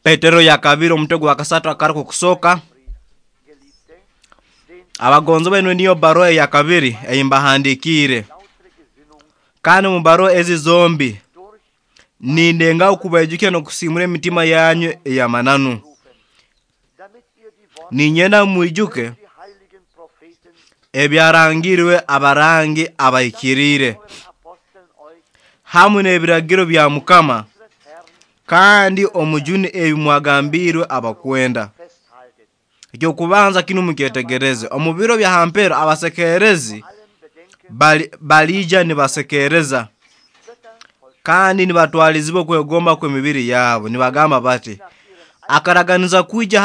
Petero yakabiri omutwe gwa kasatu akaruku kusooka. Abagonzibwa, enu niyo baruha eyakabiri eyimbahandikiire, kandi omu baruha ezi zombi nindengaho kubaijukya n'okusiimura emitima yanyu ey'amananu. Ninyenda mwijuke ebyarangirwe abarangi abahikiriire hamu n'ebiragiro bya Mukama kandi omujuni ebi mwagambiirwe abakwenda. Ekyokubanza kinu mukyetegereze, omu biro bya ha mpero abasekerezi baliija nibasekereza kandi nibatwalizibwa okwegomba kw'emibiri yabo, nibagamba bati: akaraganiza kwija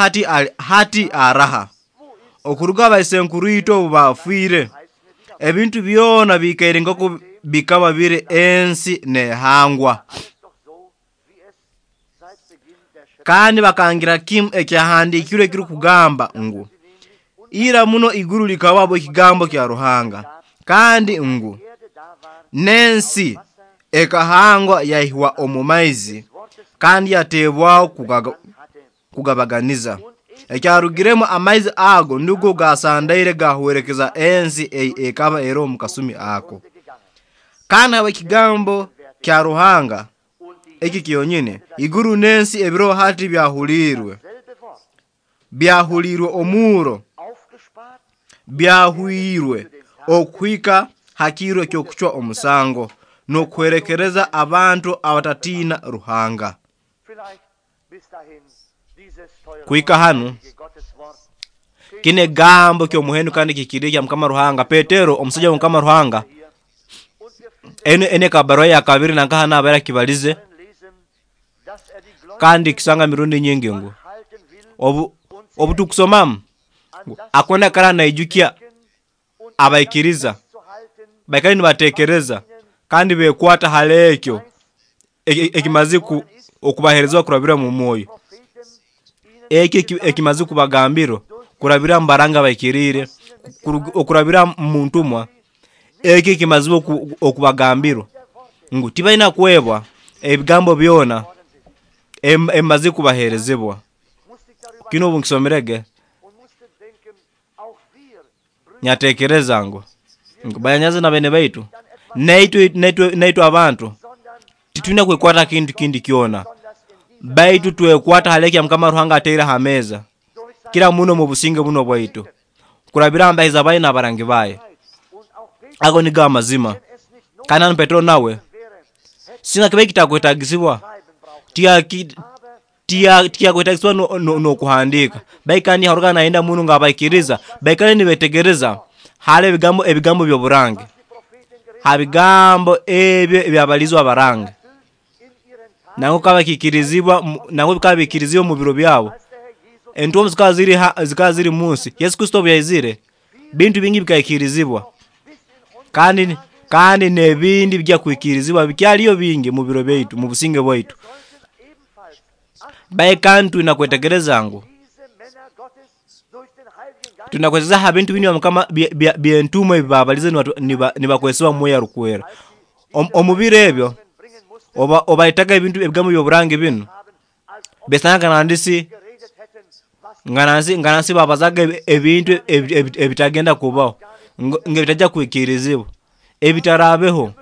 hati araha? Okuruga abaisenkuruitwe obu baafiire, ebintu byona biikaire nkooku bikaba biri ensi neehangwa. Kandi bakangira kimu ekyahandiikirwe ekirukugamba ngu ira muno iguru likabaho ekigambo kya Ruhanga, kandi ngu n'ensi ekahangwa yaihwa omu maizi kandi yateebwaho kugabaganiza. Ekyarugiremu amaizi ago nugo gaasandaire gaahwerekeza ensi ei ekaba eroho omu kasumi ako. Kandi habw'ekigambo kya Ruhanga eki kyonyini, iguru n'ensi ebiroho hati byahuliirwe omurro, byahwirwe okuhika ha kiro ky'okucwa omusango n'okuhwerekereza abantu abatatiina Ruhanga. Kuhika hanu, kinu ekigambo ky'omuhendo kandi kihikiriire kya Mukama Ruhanga. Petero omusaija wa Mukama Ruhanga, enu ekaba baruha yakabiri nankaha naaba akibalize, kandi kisanga emirundi nyingi ngu obu tukusomamu akwenda kwikara naijukya abaikiriza baikale nibateekereza kandi beekwata hali ekyo ekimazire okubaheerezibwa kurabira omu mwoyo. Eki ekimazire kubagambirwa kurabira omu baranga abahikiriire, okurabira omu ntumwa, eki ekimazire okubagambirwa ngu tibaina kwebwa ebigambo byona ebimazire kubaheerezibwa. Kinu obu nkisomerege, nyatekereza ngu banyanyazi na bene baitu, naitwe abantu titwina kwekwata kintu kindi kyona, baitu twekwata hali ekya Mukama Ruhanga ataire ha meeza, kira muno omu businge bunu obwaitu, kurabira ha baye n'abarangi baye. Ago nigo amazima. Kandi hanu Petero nawe, singa kibaire kitakwetagisibwa, tikyakwetagisibwa n'okuhandiika. Baitu kandi haruga nayenda muno ngu abaikiriza baikale nibetegereza hali ebigambo by'oburangi, ha bigambo ebyo ebyabalizwe abarangi. Nangwa bikaba bikiikirizibwa, nangwa bikaba biikirizibwa omu biro byabo. Entumwa zikaba ziri munsi. Yesu Kristo obu yaizire, bintu bingi bikaikirizibwa. Kandi n'ebindi bijya kwikirizibwa bikyaliyo bingi mu biro byaitu, mu businge bwaitu. Baitu kandi twina kwetegereza ngu twina kwetegereza ha bintu binu Mukama by'entumwa ebi baabalize nibakozesebwa Mwoyo Arukwera. Omu biro ebyo obaletaga ebintu ebigambo by'oburangi binu, besanga nandisi nga nansi babazaga ebintu ebitagenda kubaho, ng'ebitajya kwikirizibwa, ebitaraabeho.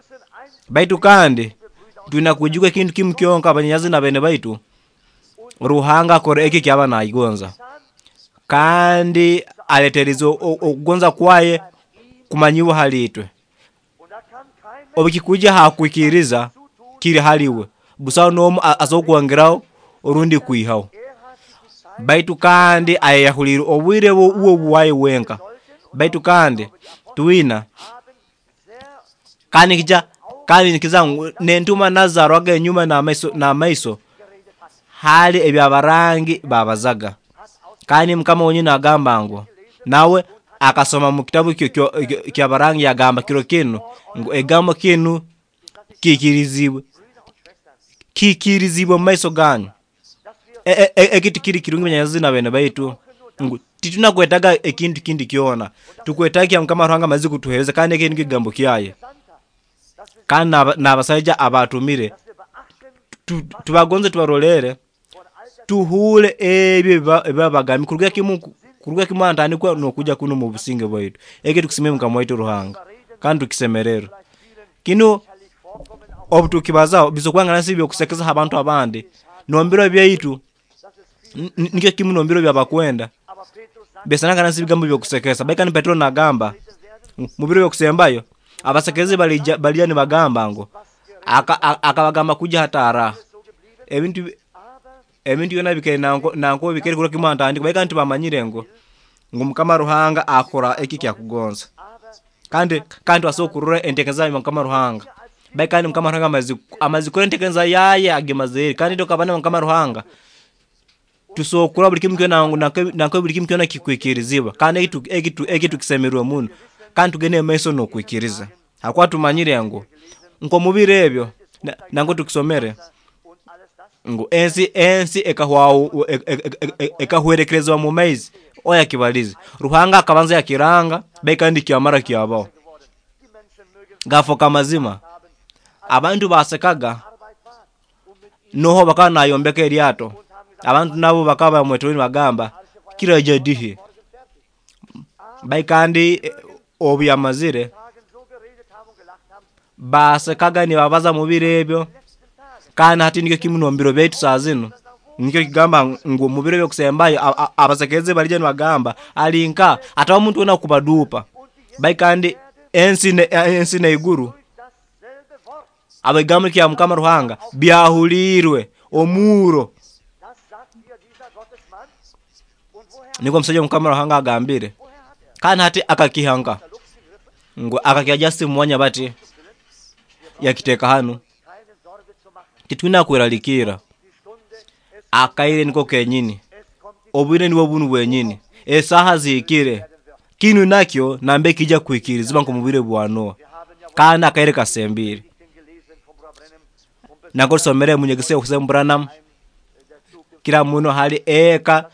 Baitu kandi twina kwijuka ekintu kimu kyonka, abanyanyazi na bene baitu, Ruhanga akora eki ekyaba nagonza, kandi aleeterize okugonza kwaye kumanyibwa hali itwe. Obu kikwijja ha kwikiriza, kiri hali iwe, busaho n'omu asobora kwongeraho orundi kwihaho. Baitu kandi ayeyahuliire obwire uwe bwaye wenka. Baitu kandi twina kandi nikiza ngu n'entumwa nazo enyuma n'amaiso hali ebyabarangi babazaga. Kandi Mukama wenyini agamba ngu nawe akasoma mu kitabu ky'abarangi yagamba kiro kinu ngu ekigambo kinu kiikirizibwe omu maiso ganyu. Eki tikiri kirungi banyanyazi na bene baitu, ngu titwina kwetaga ekintu kindi kyona, tukwetaaga kya Mukama Ruhanga amazire kutuheereza, kandi eki nikyo ekigambo kyaye. Kandi n'abasaija abaatumire Tubagonze tubarolere tuhure ebyo ebibabagambye kuruga kimu antandikwa n'okujja kuno mu businge bwaitu. Eki tukisimire Mukama waitu Ruhanga kandi tukisemererwe. Kinu obu tukibazaho bisokwanga nasi byokusekeza abantu abandi nombiro byaitu nikyo kimu nombiro byabakwenda besananga nasi bigambo byokusekesa. Baikani Petero nagamba mu biro byokusembayo abasekezi balija nibagamba ngo akabagamba kuja hatara ebintu byona bikere nanko bikere kuruga kimu antandikwa. Baikani tibamanyire ngo Mukama Ruhanga akora eki kyakugonza kandi asokurura entekeza ya Mukama Ruhanga. Baikani Mukama Ruhanga amazikora entekeza yaye agemazeri kandi tokabana Mukama Ruhanga tusokura buli kimu kyona nanko buli kimu kyona kikwikirizibwa kandi eki tukisemerwe muno kandi tugende maiso n'okwikiriza hakuba tumanyire ngo nko mubiro ebyo nanko tukisomere ngo ensi ekahwerekerezwa mu maizi oya kibalizi Ruhanga akabanza yakiranga baikandi kyamara kyabaho gafoka mazima. Abantu basekaga noho bakaba nayombeka eryato abantu nabo bakaba bamwetoni bagamba kiraja dihi. Baikandi obu yamazire basekaga nibabaza mu biro ebyo kandi hati nikyo kimu nombiro byaitu saa zino nikyo kigamba ngu mu biro byokusembayo abasekeze balija nibagamba alinka atawa muntu wena kubadupa. Baikandi ensi neiguru abigambo kya Mukama Ruhanga byahulirwe omuro. Niko msajja Mukama Ruhanga agambire kandi hati akakihanga ngo akakiaja simu bati yakiteka hano titwina kweralikira akaire niko kenyini obwire nibo bunu bwenyini esaha zikire kinu nakyo nambe kija kuikirizibwa nko mubire bwa Noa kandi akaire kasembire. Nako somere munyegese okusema Branham kila muno hali eka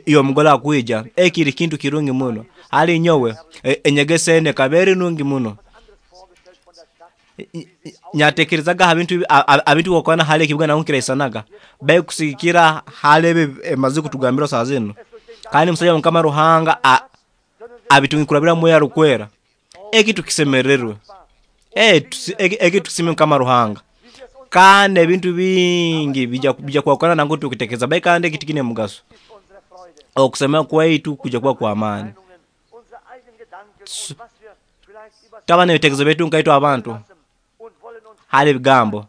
iyo mugola kuija ekiri kintu kirungi muno hali nyowe enyegese ene kaberi nungi muno nyatekerezaga abintu wakona hali kibuga na unkiraisanaga bae kusikira hali emaze kutugambira saa zino kandi musajja Mukama Ruhanga abitungikurabira moyo arukwera eki tukisemererwe eki tukisime Mukama Ruhanga kandi ebintu bingi bija kwakana nango tukitekeza bae kandi kitikine mugaso okusema kwaitu kuja kuba kwa amani. Tabana ebitekerezo byaitu nkaitu abantu hali bigambo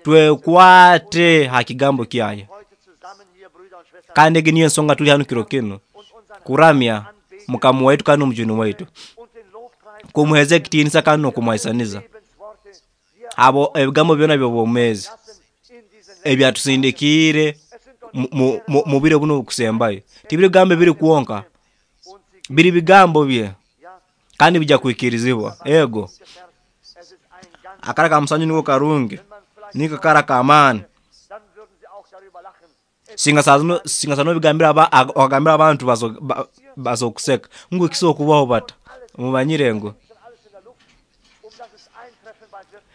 twekwate hakigambo kyaye kandi egi niyo ensonga tuli hano kiro kino kuramya Mukama waitu kandi omujuni waitu kumuheza ekitiinisa kandi n'okumwaisaniza abo ebigambo byona by'obwomeezi ebyatusindikire mu biro buno okusembayo. Tibiri bigambo biri kwonka biri bigambo bye kandi bija kuikirizibwa. Ego akara ka musanju niko karungi niko kara ka amani singa sano bigambira abagambira abantu bazokuseka ngo kisokubaho bata mumanyire ngo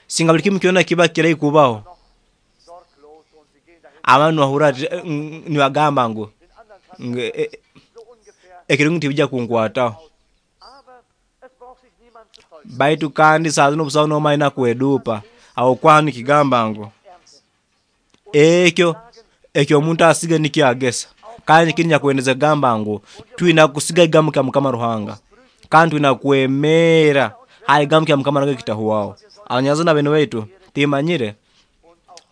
singa buli kimu kyona kiba kirai kubaho abantu bahura nibagamba ngo ekirungi tibijja kunkwataho. Baitu kandi saa zino busaho n'omalina kwedupa aho kwanu kigamba ngo ekyo omuntu asiga nikyagesa kandi kiri nyakwendeza gamba ngo twina kusiga ekigambo kya Mukama Ruhanga kandi twina kwemera hali ekigambo kya Mukama Ruhanga kitahuwaho. Abanyazana bene baitu timanyire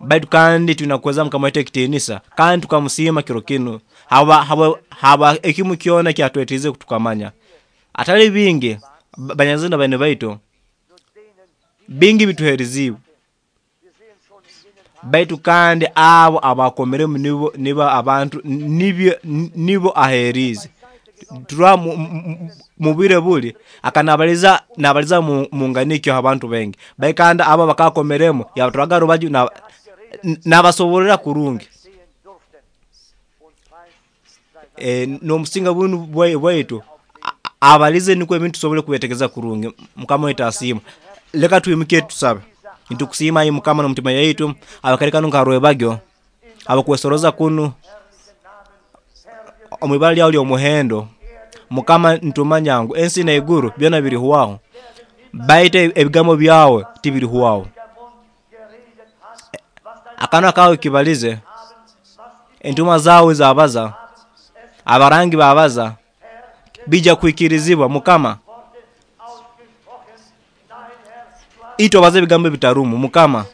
baitu kandi twina kuweza Mukama waitu ekitiinisa kandi tukamusiima kiro kino haba ekimu kyona kyatwetize kutukamanya atali bingi. Banyazana bene baitu bingi bituheriziwe baitu kandi abo abakomeremu nibo abantu nibo aherize turwa mubire buli akanabaliza nabaliza munganikyo abantu bengi bai kandi abo bakakomeremu yabatwaga rubaju nabasoborera kurungi n'omusinga bunu bwaitu abalize niko ebintu tusobole kubetegeza kurungi. Mukama waitu asiima. Leka tuyimuke tusabe. Nitukusiima ai Mukama n'omutima yaitu abakare kanu nka rwebagyo abakwesoroza kunu omu ibara lyawe ly'omuhendo. Mukama, nitumanya ngu ensi n'iguru byona birihwaho, baitu ebigambo byawe tibirihwaho. Akanwa kawe kibalize, entumwa zawe zabaza, abarangi babaza, bija kuhikirizibwa. Mukama, itwe obaza ebigambo ebitarumu. Mukama,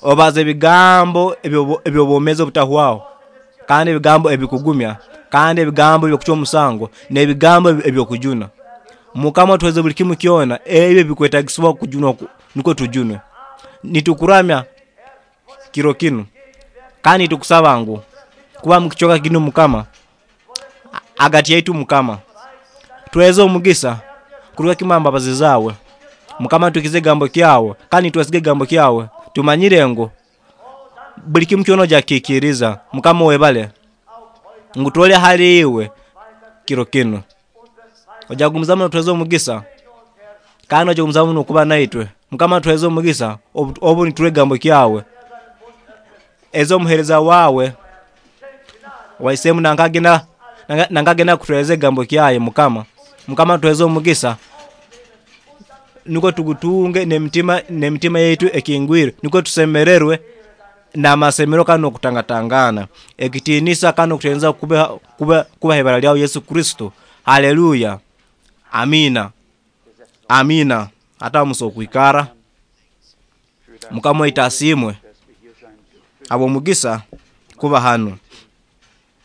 obaza ebigambo eby'obwomeezi obutahwaho, kandi ebigambo ebikugumya, kandi ebigambo eby'okucwa omusango, n'ebigambo eby'okujuna. Mukama, tuheze buli kimu kyona ebyo ebikwetagisibwa kujunwa nukwo tujunwe. Nitukuramya kiro kinu, kandi nitukusaba ngu kuba mukicweka kinu Mukama, agati yaitu Mukama, tweze omugisa kuruga kimu aha mbabazi zawe. Mukama, tukize ekigambo kyawe, kandi nitwesiga ekigambo kyawe. Tumanyire ngu buli kimu kyona ojja kukikiriza. Mukama, webale ngu tuli hali iwe kiro kinu. Ojja kugumizamu notuheza omugisa, kandi ojja kugumizamu nokuba naitwe. Mukama, tuheze omugisa obu nituha ekigambo kyawe. Eza omuhereza wawe waisemu nankagenda kutuhereza ekigambo kyaye. Mukama, Mukama, tuheze omugisa nukwo tugutunge n'emitima yaitu ekingwire, nukwo tusemererwe n'amasemero kandi n'okutangatangana. Ekitiinisa kandi n'okutenza kubaha ibara lyawe Yesu Kristo. Haleluya, amina, amina. Hata muso okwikara. Mukama waitu asiimwe habw'omugisa kuba hanu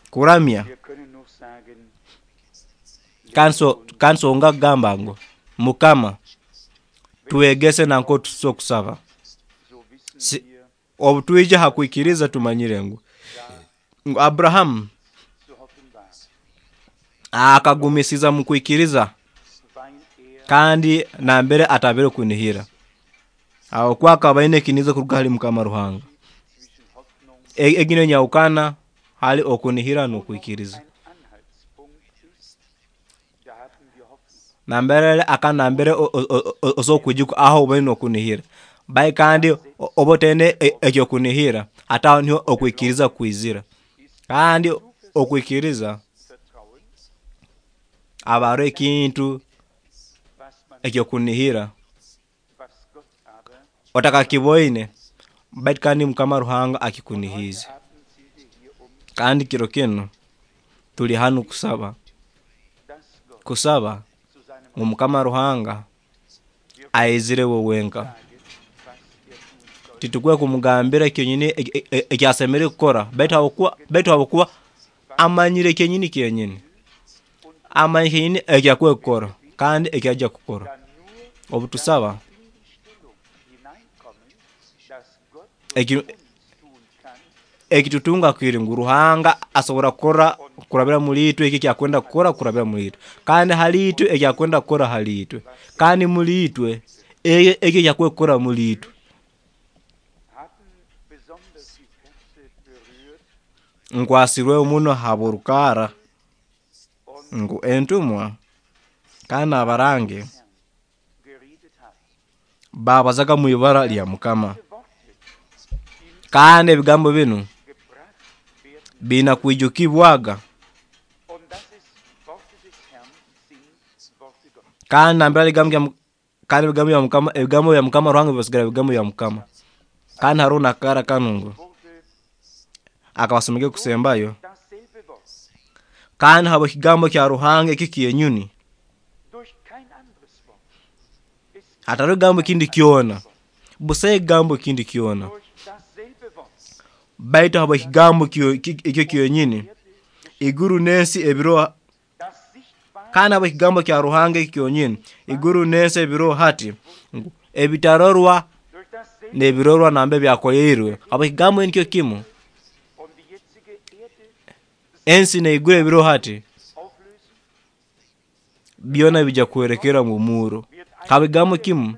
kuramya. Kansonga kugamba ngu Mukama, twegese nanko tuso kusaba. Obu twija ha kwikiriza tumanyire ngu Abrahamu akagumisiza mu kwikiriza, kandi nambere atabere kunihira, aho kuba akaba aine ekiniza kuruga hali Mukama Ruhanga. Egi niyo nyahukana hali okunihira n'okwikiriza. Nambere aka nambere osokwijuka aho obaine okunihira, bai kandi oba otaine ekyokunihira, hati aho niho okwikiriza kwizira. Kandi okwikiriza aba haroho ekintu ekyokunihira otakakiboine, baitu kandi Mukama Ruhanga akikunihiize. Kandi kiro kinu tuli hanu kusaba, kusaba ngu Mukama Ruhanga aizire we wenka. Titukwiye kumugambira kyonyini ekyasemeriire kukora, baitu habwokuba amanyire kyenyini kyenyini, amanyire kyenyini ekyakwiye kukora kandi ekyajja kukora. Obu tusaba ekitutunga kiri ngu Ruhanga asobora kukora kurabira muli itwe eki ekyakwenda kukora kurabira muli itwe, kandi hali itwe ekyakwenda kukora hali itwe, kandi muli itwe eki ekyakwiye kukora muli itwe. Nkwasirweho muno habw'orukara ngu entumwa kandi n'abarangi babazaga mu ibara lya Mukama, kandi ebigambo binu biina kwijukibwaga, kandi nambere kandi ebigambo bya Mukama Ruhanga bibasigara bigambo bya Mukama. Kandi haroho n'akara kanu ngu akabasomege kusembayo, kandi habw'ekigambo kya Ruhanga eki kyenyini, hatariho ekigambo kindi kyona, busaho ekigambo kindi kyona, baitu habw'ekigambo ekyo kyonyini, iguru n'ensi ebiroho, kandi habw'ekigambo kya Ruhanga eki kyonyini, iguru n'ensi ebiroho hati, ebitarorwa n'ebirorwa nambere byakoleirwe, habw'ekigambo nikyo kimu, ensi n'iguru ebiroho hati, byona bijja kuhwerekera mu murro. Habw'ekigambo kimu,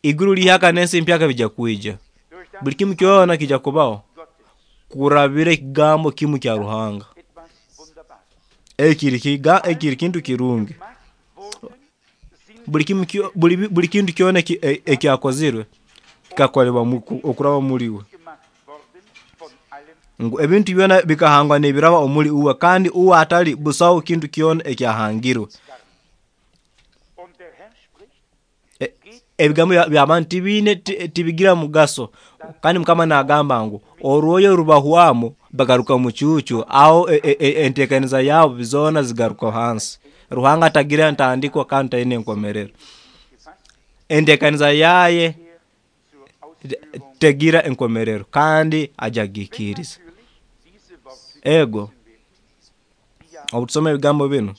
iguru lihyaka n'ensi mpyaka bijja kwija. Buli kimu kyona kijja kubaho kurabira ekigambo kimu kya Ruhanga. Ekiri kintu kirungi. Buli kintu kyona ekyakozirwe kikakolebwa okuraba omuli uwe. Ngu ebintu byona bikahangwa nibiraba omuli uwe, kandi uwe atali busaho kintu kyona ekyahangirwe. Ebigambo by'abantu tibiine tibigira mugaso. Kandi Mukama nagamba ngu orwoyo rubahwamu bagaruka mucuucu, aho enteekaniza yabo zoona zigaruka hansi. Ruhanga tagira ntandikwa kandi taine enkomerero. Enteekaniza yaye tegira enkomerero kandi ajya kugihikiiriza. Ego, obu tusoma ebigambo binu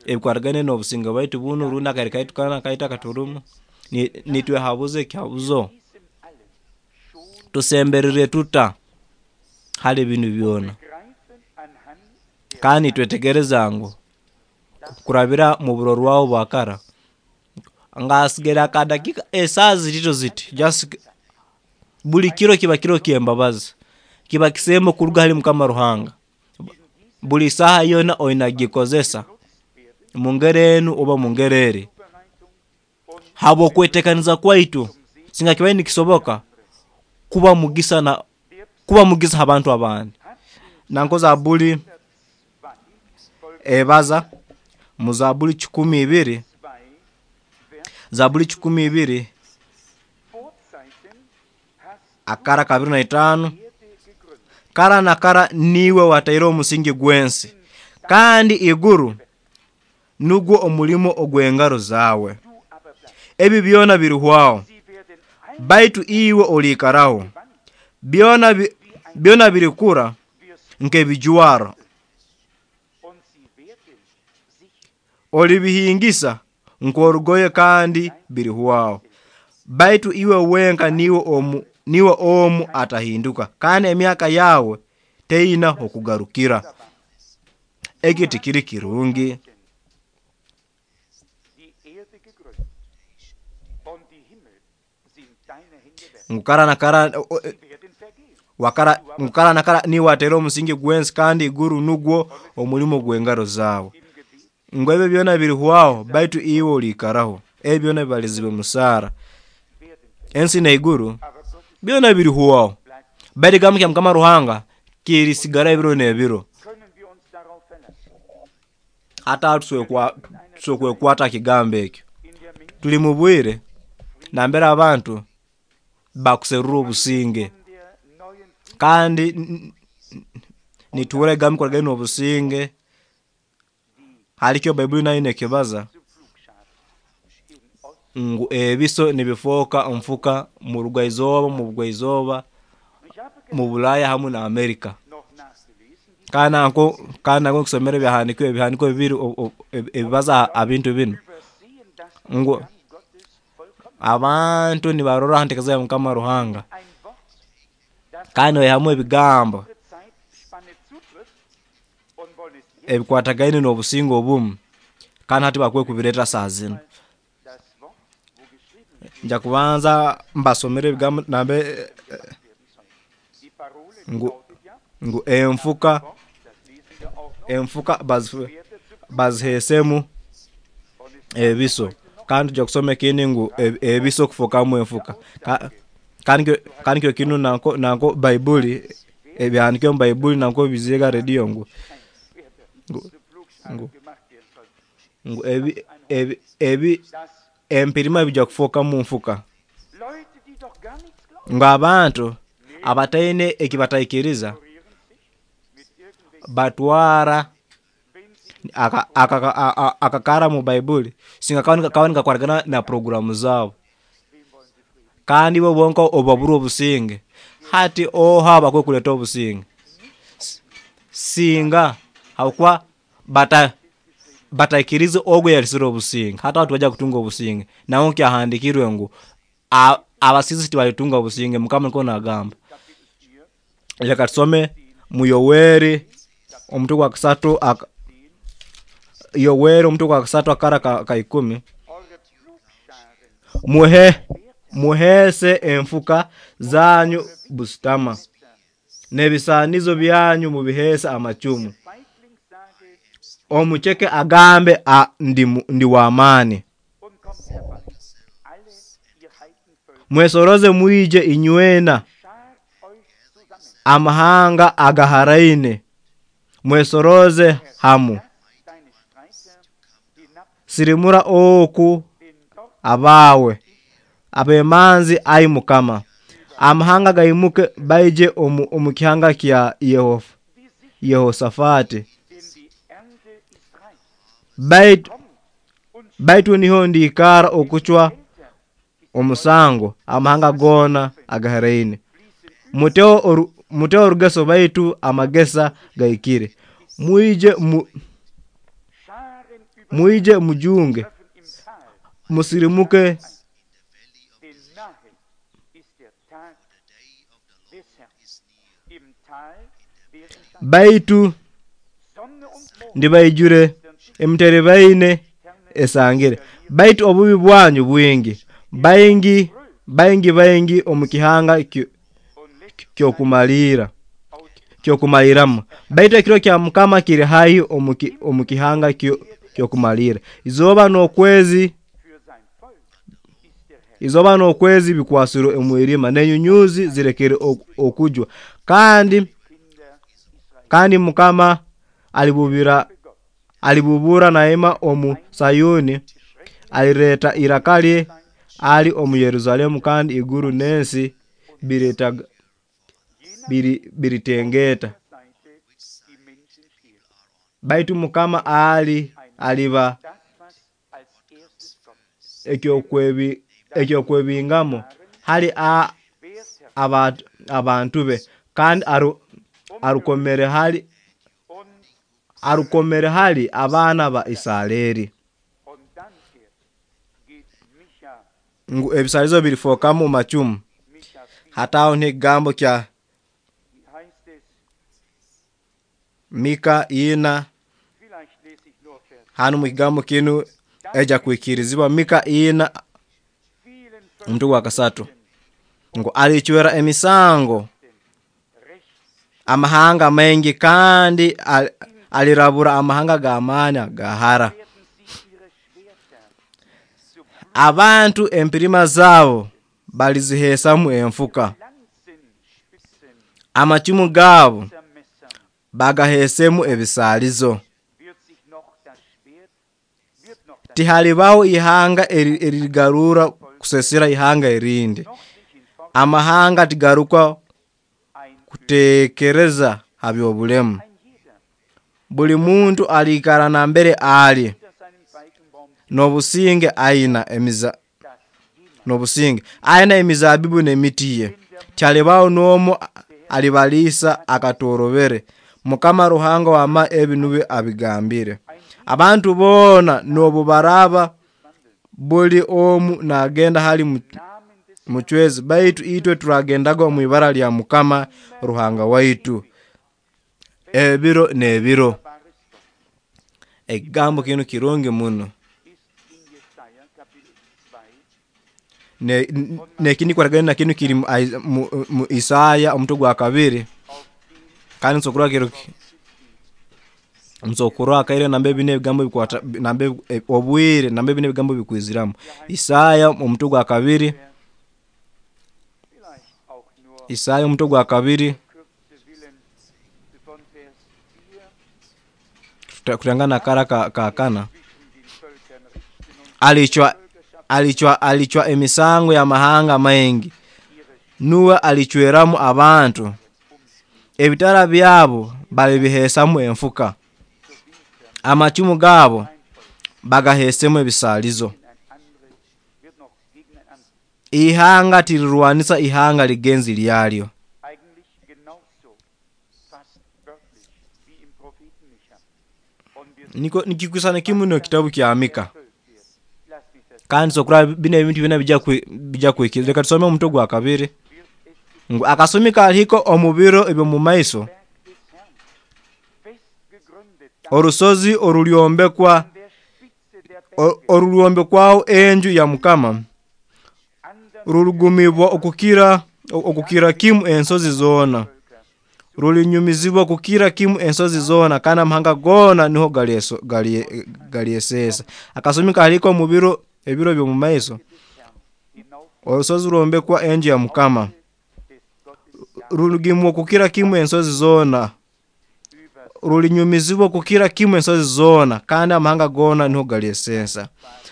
ebikwatagaine n'obusinge bwaitu bunu rundi akaire kaitu kanu akaitu akaturumu, nitwehabuza ekihabuzo, tusemberire tuta hali binu byona? Kandi nitwetegereza ngu kurabira mu burorwaho bwa kara, ngasigaire akadakiika esaaha zitito ziti, just buli kiro kiba kiro ky'embabazi, kiba kisembo kuruga hali Mukama Ruhanga. Buli saaha yoona oine kugikozesa mu ngeri enu oba mu ngeri eri. Habw'okwetekaniza kwaitu, singa kibaire nikisoboka kuba mugisa na kuba mugisa ha bantu abandi. Nanko Zabuli ebaza mu Zabuli 12, Zabuli 12 akara ka 25, kara na kara niiwe wataire omusingi gw'ensi, kandi iguru nugwo omulimo ogw'engaro zaawe. Ebi byona birihwaho, baitu iwe oliikaraho. Byona birikura nk'ebijwaro, olibihingisa nk'orugoye kandi birihwaho. Baitu iwe wenka niiwe omu atahinduka, kandi emyaka yawe teina okugarukira. Eki tikiri kirungi. Ngu kara na kara ngu kara na kara niiwe wataire omusingi gw'ensi, kandi iguru nugwo omulimo gw'engaro zaawe. Ngu ebyo byona birihwaho, baitu iwe oliikaraho. Ebi byona bibalizibwe musaara. Ensi n'iguru byona birihwaho, baitu ekigambo kya Mukama Ruhanga kirisigara ebiro n'ebiro. Hati aho tusobora kwekwata ha kigambo ekyo. Tuli mu bwire nambere abantu bakuserura obusinge, kandi nituhurra ebigambo ebikwatagaine n'obusinge, halikyo Baibuli nayo nekibaza ngu ebiso nibifooka nfuka mu rugwaizooba, mu bugwaizooba, mu Bulaaya hamu na Amerika. Kandi nanko nkusomera ebyahandiikirwe bibiri ebibaza ha bintu binu, ngu abantu nibarora ha nteekaniza ya Mukama Ruhanga, kandi baihamu ebigambo ebikwatagaine n'obusinge obumu, kandi hati bakwiye kubireeta saaha zinu. Nja kubanza mbasomere ebigambo nambere ngu enfuka baziheesemu ebiso, kandi tujja kusoma ekindi ngu ebiso kufookamu enfuka. Kandi kiro kinu nanko Baibuli, ebyahandiikirwe omu Baibuli nanko biziiga ha rediyo ngu empirima bijya kufookamu nfuka. Ngu abantu abataine eki bataikiriza batwara akakara mu Baibuli singa kaba nikakwatagana na puroguramu zaabo, kandi bo bonka obu baburwa obusinge, hati oha abakwiye kuleeta obusinge? Singa habwokuba bataikirize ogu ayalesere obusinge, hati abo tibajya kutunga obusinge. Naho kyahandiikirwe ngu abasiisi tibalitunga obusinge, Mukama nikwo nagamba. Leka tusome mu Yoweri omutwe gwa kasatu Yoweri omutwe gwa kasatu akara ka ikumi. Muheese enfuka zanyu busitama, n'ebisaanizo byanyu mubiheese amacumu. Omuceke agambe ndi w'amaani. Mwesoroze mwije inywena amahanga agaharaine, mwesoroze hamu. Sirimura oku abawe abemanzi ai Mukama. Amahanga gaimuke baije omu kihanga kya Yehosafati. Baitu niho ndikara okuchwa omusango amahanga gona agaharaine. Muteo orugeso baitu amagesa gaikire. Mwije mujunge, musirimuke. Baitu ndibaijure emiterebaine esangire. Baitu obubi bwanyu bwingi, baingi baingi baingi omu kihanga kyokumaliramu. Baitu ekiro kya Mukama kiri haihi omu kihanga kyokumalira. Izooba n'okwezi bikwasirwe omwirima, n'enyunyuzi zirekere okujwa. Kandi Mukama alibubura naima omu Sayuni, alireta iraka lye ali omu Yerusalemu, kandi iguru n'ensi biritengeta. Baitu Mukama aliba ekyokwebingamo hali abantu be, kandi arukomere hali abaana ba Isareri. Ngu ebisalizo birifokamu macumu. Hataho n'ekigambo kya Mika 4. Hanu mu kigambo kinu eja kwikirizibwa Mika 4 omutwe gwa 3. Ngu alichwera emisango amahanga maingi, kandi alirabura amahanga g'amaani agahara. Abantu empirima zabo balizihesamu enfuka, amacumu gabo bagahesemu ebisalizo. Tihalibaho ihanga eririgarura kusesera ihanga erindi. Amahanga tigaruka kutekereza ha by'obulemu. Buli muntu alikara nambere ali n'obusinge aina emizabibu n'emiti ye. Tihalibaho n'omu alibalisa akatorobere. Mukama Ruhanga wama ebi nubyo abigambire. Abantu boona n'obu baraba buli omu nagenda hali muchwezi, baitu itwe turagendaga omu ibara lya Mukama Ruhanga waitu ebiro n'ebiro. Ekigambo kinu kirungi muno. Nekindi kwaragana kinu kiri mu Isaya omutwe gwa 2. Kandi nsokurwa nsokurwa kaire nambe bine ebigambo bikwata nambe obwire nambe bine ebigambo bikwiziramu. Isaya omutwe gwa 2. Isaya omutwe gwa 2 kutangana kara kakana. Alichwa emisango ya mahanga maingi, nuwe alichweramu abantu. Ebitara byabo balibihesamu enfuka, amacumu gabo bagahesemu ebisalizo. Ihanga tirirwanisa ihanga ligenzi lyalyo. Niko nikikusana kimu no kitabu kya Mika. Kandi sokura bine ebintu bina bija kwikiriza. Reka tusome omutwe gwa 2. Ngu akasumi kaliko omu biro ebyo mu maiso, orusozi orulyombekwaho enju ya Mukama rurugumibwa okukira kimu ensozi zona. Rulinyumizibwa kukira kimu ensozi zoona, kandi amahanga goona niho galyeseesa. Akasumi kalihika omu biro ebiro by'omu maiso, orusozi rwombekwa enju ya Mukama, rurugimwa kukira kimu ensozi zoona, rulinyumizibwa kukira kimu ensozi zoona, kandi amahanga goona niho galyeseesa.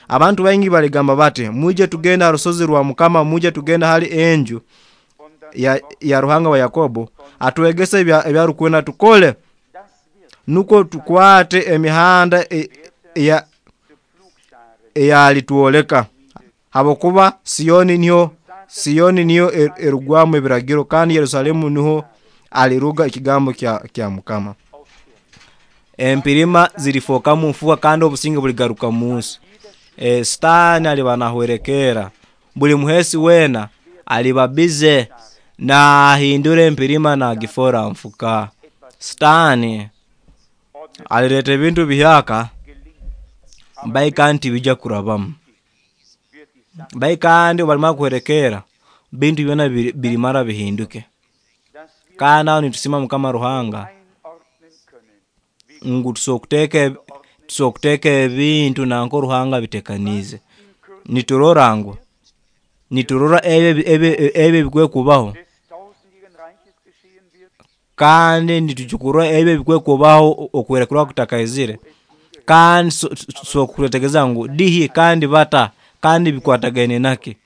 Abantu baingi baligamba bati, mwije tugende ha rusozi rwa Mukama, mwije tugende hali enju ya Ruhanga wa Yakobo, atwegese ebyarukwenda tukole, nukwo tukwate emihanda eyalitwoleka. Habwokuba Siyoni niyo erugwamu ebiragiro, kandi Yerusalemu niho aliruga ekigambo kya Mukama. Empirima zirifookamu nfuka, kandi obusinge buligaruka munsi. Sitaani aliba nahwerekera, buli muheesi weena aliba bize nahindura empirima nagifora nfuka. Sitaani alireeta ebintu bihyaka, baika tibijja kurabamu. Baika kandi obu kuhwerekera, bintu byona birimara bihinduke. Kandi aho nitusiima Mukama Ruhanga ngu tusobora kuteeka ebintu nanka Ruhanga abitekaniize. Niturora ngu niturora ebi ebikwekubaho, kandi nitukurora ebi ebikwekubaho okuhwerekerra kutakaizire, kandi tusobora kwetegereza ngu dihi kandi bata kandi bikwatagaine naki.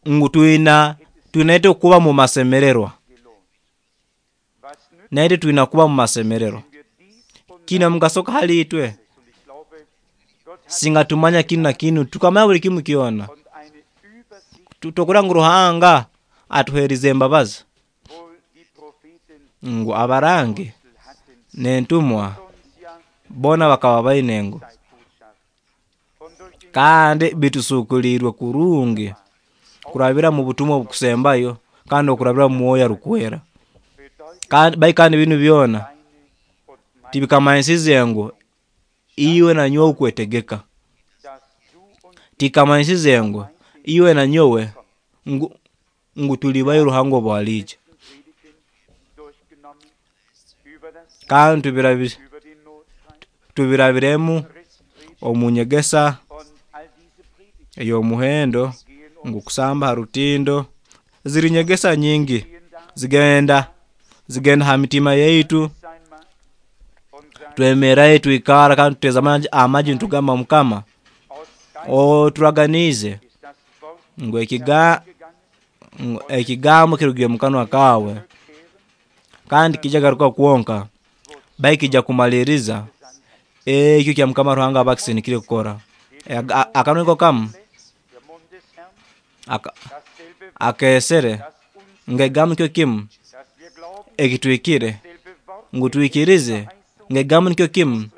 Ngu twina itwe kuba mu masemererwa, naitwe twina kuba mu masemererwa. Kiine omugaso ki hali itwe? Singa tumanya kinu na kinu, tukamanya buli kimu kyona, tokurora ngu Ruhanga atuherize embabazi, ngu abarangi n'entumwa boona bakaba baine ngu kandi bitusukulirwe kurungi kurabira mu butumwa obukusembayo kandi okurabira mu mwoyo arukwera. Kandi binu byona tibikamanyisize ngu iwe na nyowe kwetegeka, tikamanyisize ngu iwe na nyowe ngu tulibayo Ruhanga obu aliija. Kandi tubirabiremu omu nyegesa ey'omuhendo ngu kusamba ha rutindo, ziri nyegesa nyingi zigenda ha mitima yaitu, twemerayo twikara kandi tuteza amaju nitugamba Mukama oturaganiize ngu ekigambo kirugire mukanwa kaawe kandi tikijya kugaruka kwonka, baitu kijya kumaliriza ekyo kya Mukama Ruhanga aba akisindikire kukora. Akanwa niko kamu akeesere ngu ekigambo nikyo kimu ekitwikire, ngu twikirize ngu ekigambo nikyo kimu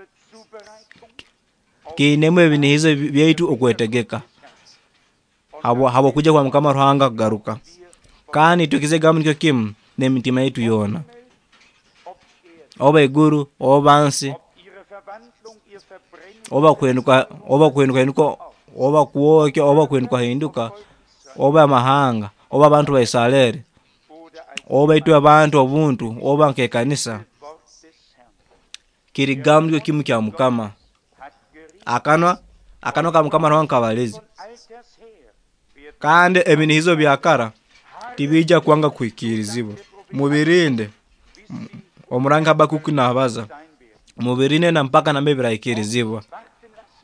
kiinemu ebinihizo byaitu okwetegeka habw'okwija kwa Mukama Ruhanga kugaruka. Kandi twikirize ekigambo nikyo kimu n'emitima yaitu yoona, oba iguru oba nsi, oba kuhinduka oba kwokya oba kuhindukahinduka, oba amahanga oba abantu ba Isareri, oba itwe abantu obuntu, oba nk'ekanisa, kiri kigambo nikyo kimu kya Mukama. Akanwa ka Mukama Ruhanga kabalize. Kandi ebinihizo bya kara tibijja kwanga kuhikiirizibwa. Mubirinde, omurangi Habakuki nabaza, mubirinde na mpaka nambere birahikiirizibwa.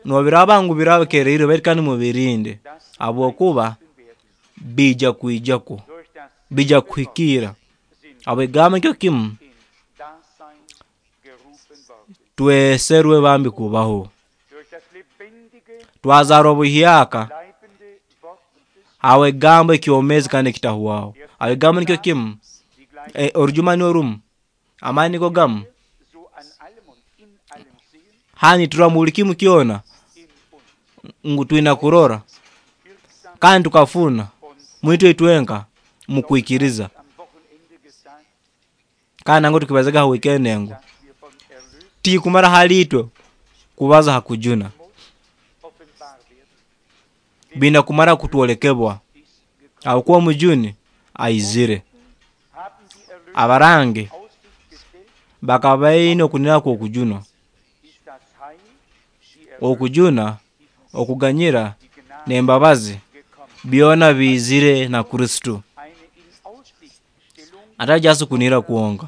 Nobiraba ngu biraba bikeriirwe baitu kandi mubirinde, habwokuba bijja kwijakwo, bijja kuhikiira. Habw'ekigambo nikyo kimu tweserwe bambi kubaho. Twazarwa buhyaka habw'ekigambo ekyomeezi kandi ekitahwaho. Habw'ekigambo nikyo kimu, orujuma nirwo rumu, amaani nigo gamu, hanu niturora buli kimu kyona ngu twina kurora kandi tukafuna mwitwe itwenka mukwikiriza. Kandi nangwa tukibazaga ha weekend ngu tikumara hali itwe kubaza ha kujuna. Biina kumara kutwolekebwa habwokuba omujuni aizire. Abarangi bakaba baine okunihira kw'okujunwa. Okujuna, okuganyira, n'embabazi byona biizire na Kristo. Atali just kunihira kwonka,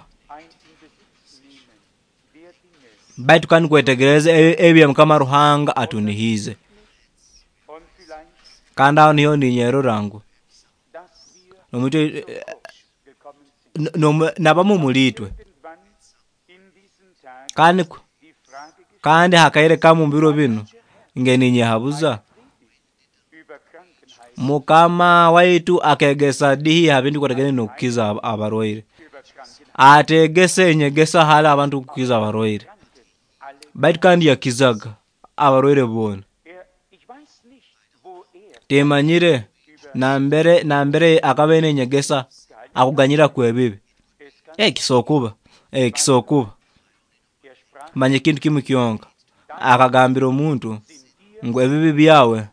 baitu kandi kwetegereza ebyo Mukama Ruhanga atunihiize. Kandi aho niho ninyerora ngu nabamu omuli itwe. Kandi hakaire kamu omu biro binu nge ninyehabuza, Mukama waitu akegesa dihi ha bintu ebikwatagaine n'okukiza abarwaire. Ateegese enyegesa hali abantu kukiza abarwaire, baitu kandi yakizaga abarwaire boona. Timanyire nambere akaba aine enyegesa akuganyira kw'ebibi. Kisokuba, kisokuba. Manya ekintu kimu kyonka, akagambira omuntu ngu ebibi byawe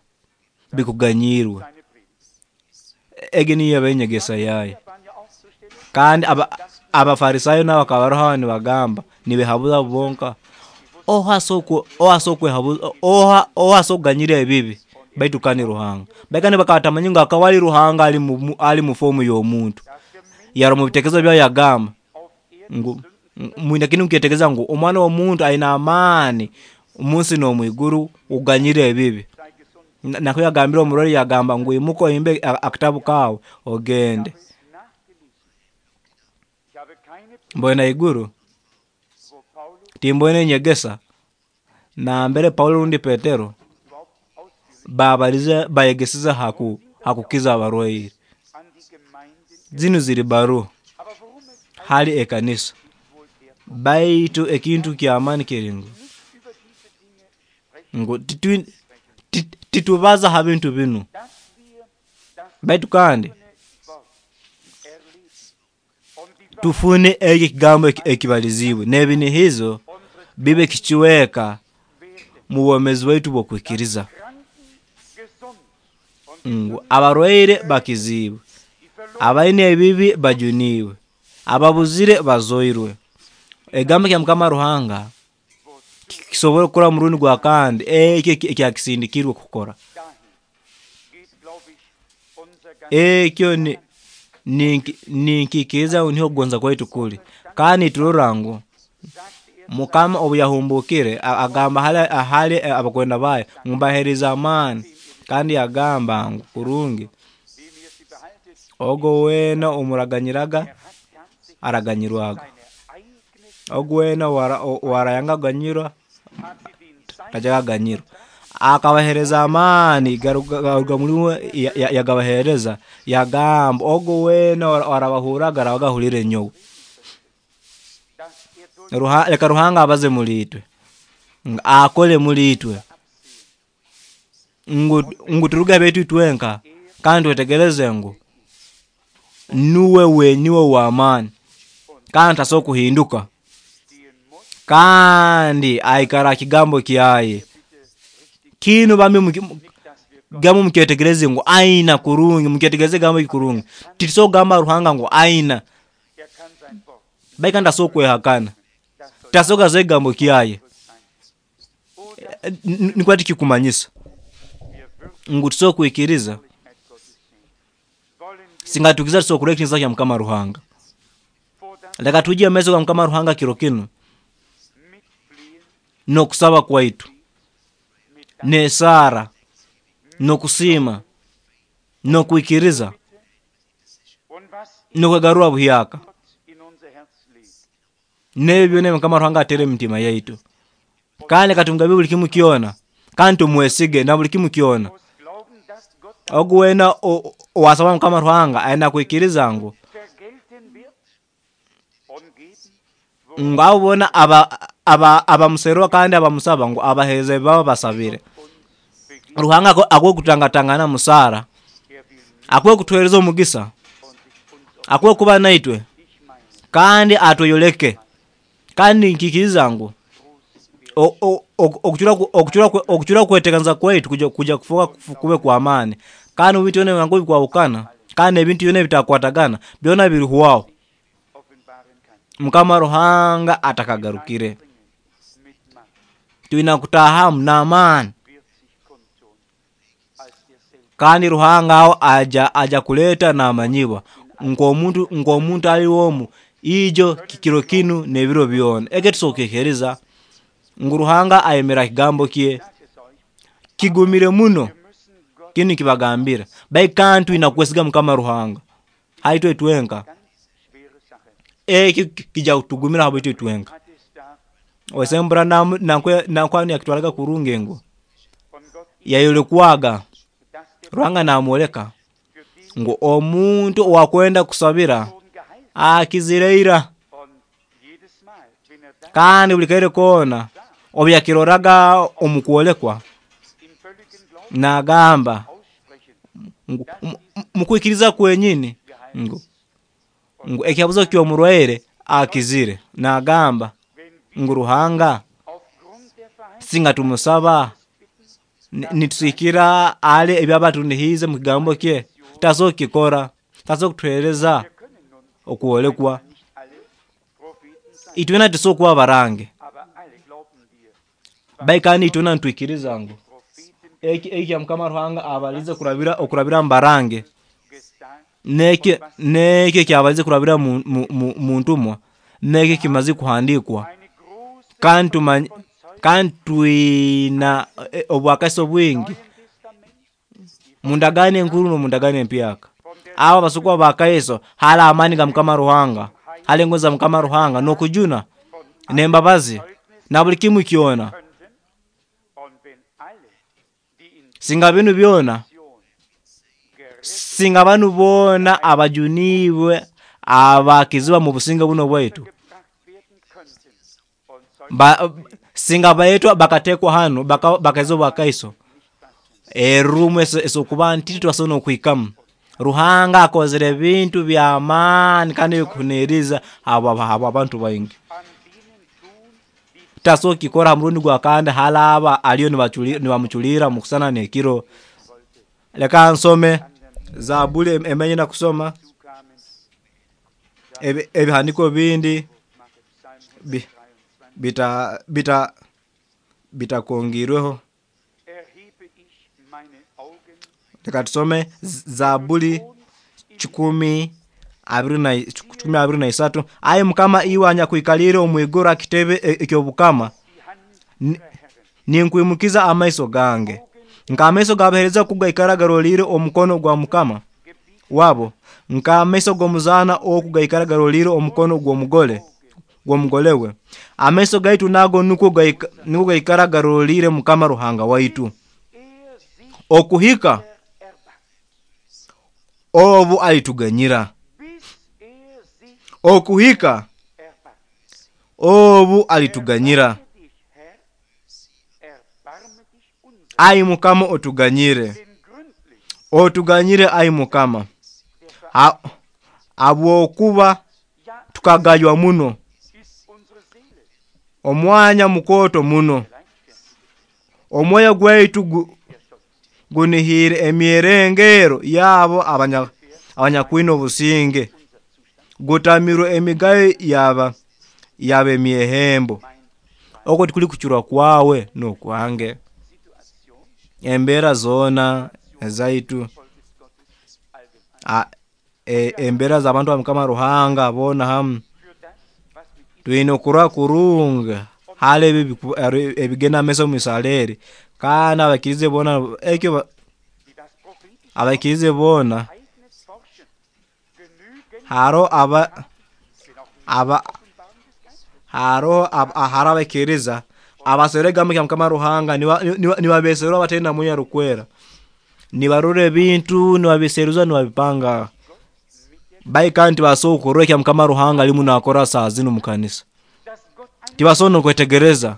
bikuganyiirwe. Egi niyo eba enyegesa yaye. Kandi Abafarisayo nabo bakaba baroho nibagamba, nibehabuza bonka, oha asobora kuganyira ebibi baitu kandi Ruhanga. Baitu kandi bakaba batamanyire ngu akaba ali Ruhanga ali mu fomu y'omuntu. Yarora omu bitekerezo byawe yagamba ngu mwine kinu mukyetegereza ngu omwana w'omuntu aine amaani omunsi n'omwiguru okuganyira ebibi. Nakyo yagambire omurwaire yagamba ngu imuka ohimbe akatabu kaawe ogende. Mboine haiguru timboine enyegesa nambere Paulo rundi Petero babalize bayegesize hakukiza abarwaire. Zinu ziri baruha hali ekanisa. Baitu ekintu ky'amaani kiri ngu titubaza ha bintu binu, baitu kandi tufune eki ekigambo ekibaliziibwe n'ebinihizo bibe kicweka mu bwomeezi bwaitu bw'okwikiriza ngu abarwaire bakiziibwe, abaine ebibi bajuniibwe, ababuzire bazoirwe. Ekigambo kya Mukama Ruhanga kisobora kukora omurundi gwa kandi ekyo ekyakisindikirwe kukora. Ekyo ninkikiriza ngu niho okugonza kwaitu kuli. Kandi niturora ngu Mukama obu yahumbukire agamba hali abakwenda baye ngu mbahereze amaani, kandi yagamba ngu kurungi ogu weena omuraganyiraga araganyirwaga, ogu weena owarayanga kuganyirwa tajya kuganyirwa. Akabahereza amaani garuga muli uwe yagabahereza, yagamba ogu weena orabahurraga arabaga ahuliire nyowe. Leka Ruhanga abaze muli itwe, akole muli itwe, ngu turuge ha byaitu itwenka kandi twetegereze ngu nuwe wenyini ow'amaani kandi tasobora kuhinduka, kandi aikara ha kigambo kyaye. Kinu bambi gamu mukyetegereze ngu aina kurungi, mukyetegereze ekigambo eki kurungi. Titusobora kugamba Ruhanga ngu aina, baitu kandi tasobora kwehakana, tasobora kugaruza ekigambo kyaye. Nikwo tikikumanyisa ngu tusobora kwikiriza, singa tuikiriza tusobora kurora ekitiinisa kya Mukama Ruhanga. Leka twije omu maiso ga Mukama Ruhanga kiro kinu n'okusaba kwaitu, n'esaara, n'okusiima, n'okwikiriza, n'okwegarura buhyaka, n'ebi byona ebi Mukama Ruhanga ateere omu mitima yaitu. Kandi leka tumugabire buli kimu kyona, kandi tumwesige na buli kimu kyona. Ogu weena owasaba Mukama Ruhanga aine kwikiriza ngu abo boona abamuserra kandi abamusaba ngu abaheereze ebi baba basabire. Ruhanga akuhe kutangatangana musaara, akuhe kutuheereza omugisa, akuhe kuba naitwe, kandi atweyoleke. Kandi ninkikiriza ngu Okucura kweteganiza kwaitu kuja kufuka kube kwa maani. Kandi ebintu byona ngu bikwahukana, kandi ebintu byona bitakwatagana, byona birihwaho. Mukama Ruhanga atakagarukire. Twina kutahamu n'amaani. Kandi Ruhanga aho aja kuleta n'amanyibwa nk'omuntu ali omu ijo kikiro kinu n'ebiro byona. Eke tusokekereza ngu Ruhanga ayemera kigambo kye kigumire muno. Kinu kibagambira baitu twina kwesiga Mukama Ruhanga haitwe twenka. Eki kija kutugumira habwitwe twenka. Osembura nankwani yakitwaraga kurungi ngo yayolekwaga Ruhanga namwoleka ngu omuntu owakwenda kusabira akizireira, kandi buli kaire koona obu yakiroraga omu kwolekwa nagamba ngu mukwikiriza kwenyini ngu ekihabuzo ky'omurwaire akizire. Nagamba ngu Ruhanga singa tumusaba nitusikira ale ebyaba tunihize mu kigambo kye, taso kikora, taso kutuhereza okwolekwa. Itwena tuso kuba barange baikani itwena ntwikiriza ngu eki ya Mukama Ruhanga abalize kurabira okurabira mbarange neke kyabalize kurabira mu ntumwa neke kimaze kuhandikwa. Kandi twina obwakaiso bwingi mundagane enkuru n'omundagane empyaka. Abo basukwa bakaiso hali amani ga Mukama Ruhanga, hali engozi za Mukama Ruhanga n'okujuna n'embabazi na buli kimu kyona. Singa binu byona, singa banu boona abajunibwe abakiziba mu businge buno bwaitu, singa baetwa bakatekwa hano bakaizo bakaiso erumu esokuba nti twasobola okuhikamu. Ruhanga akozere ebintu by'amaani kandi ebikuhuniriza abo abantu baingi. Taso kikora ha murundi gwa kandi halaba aliyo nibamuculira mukusana n'ekiro. Leka nsome Zabuli emenye na kusoma ebihandiko bindi bitakongirweho. Leka tusome Zabuli 123. Ayi Mukama iwe anyakwikalire omwiguru akitebe eky'obukama, ninkwimukiza amaiso gange nk'amaiso g'abahereza kugaikara garolire omukono gwa Mukama wabo, nk'amaiso g'omuzaana oku gaikara garolire omukono gw'omugole we. Amaiso gaitu nago nukwo gaikara garolire Mukama Ruhanga waitu, okuhika obu alituganyira, okuhika obu alituganyira. Ai Mukama otuganyire, otuganyire ai Mukama, habwokuba tukagaywa muno, omwanya mukoto muno, omwoyo gwaitu gunihire emyerengero yabo abanyakwina obusinge, gutamirwe emigayo yaba emyehembo. Okwo tikuli kucurwa kwawe n'okwange. Embeera zoona ezaitu, embeera z'abantu ba Mukama Ruhanga boona hamu, twine okurora kurungi hali ebigenda maiso mu Isiraeli. Kandi abakirize boona ekyo abakirize boona haro abakiriza abaserega kya Mukama Ruhanga nibabeserwa batenda muya rukwera, nibarora ebintu nibabiseruza nibabipanga baika nti basobola kya Mukama Ruhanga alimu nakora saa zinu mu kanisa. Tibasobola nokwetegereza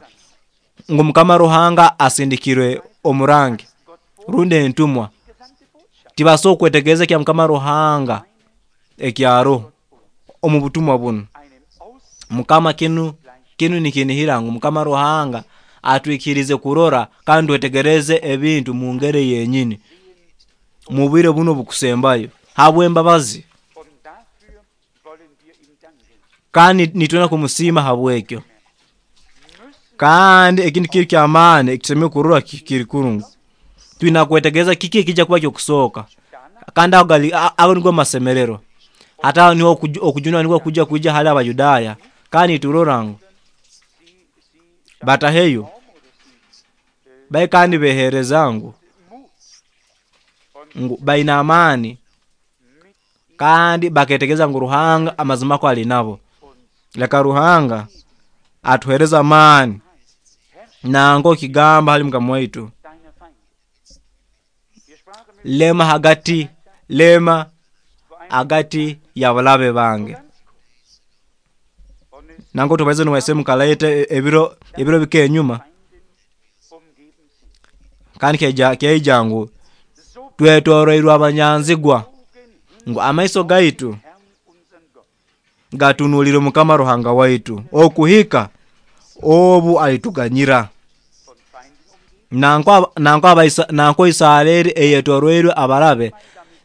ngu Mukama Ruhanga asindikirwe omurangi rundi entumwa. Tibasobola kwetegereza kya Mukama Ruhanga ekyaro omu butumwa buno. Mukama kinu nikinihira ngu Mukama Ruhanga Atwikirize kurora kandi twetegereze ebintu mu ngeri yenyini mu bwire buno bukusembayo habw'embabazi, kandi nitwenda kumusiima habwekyo. Kandi ekintu kiri ky'amaani ekitusemeriire kurora kiri kurungi, twina kwetegereza kiki ekijja kuba ky'okusooka, kandi ago nigo masemererwa. Hati aho niho okujunwa nikwo kujja kwija hali Abayudaaya, kandi niturora ngu bataheyo bai kandi behereza ngu baine amaani, kandi baketegereza ngu Ruhanga amazima ko ali nabo. Leka Ruhanga atuhereze amaani nanko kigamba hali Mukama waitu, lema hagati, lema hagati y'abalabe bange. Nanko tubaize nuwaise mukalaita ebiro bike enyuma, kandi kyaija ngu twetoroirwe abanyanzigwa, ngu amaiso gaitu gatunulire Mukama Ruhanga waitu okuhika obu alituganyira. Nanko Isareri eyetoroirwe abarabe,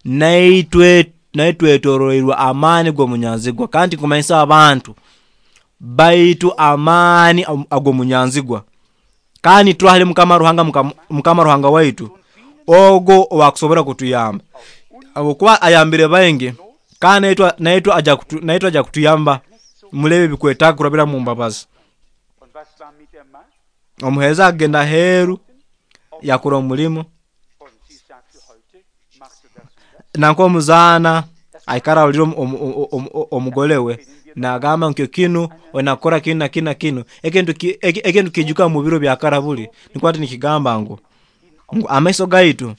naitwe twetoroirwe amaani g'omunyanzigwa. Kandi nkumanyisa abantu baitu amaani ag'omunyanzigwa, kandi turahali Mukama Ruhanga, Mukama Ruhanga waitu ogo owakusobora kutuyamba, habwokuba ayambire baingi, kandi naitwe aja kutuyamba mulebe ebikwetaaga kurabira mu mbabazi. Omuheereza akagenda aheeru yakora omulimo, nanko omuzaana aikara arolire omugole we nagamba nkyo kinu onakora kinu na kinu na kinu. Ekintu kiijuka mu biro bya kara buli nikwo hati nikigamba ngu amaiso gaitu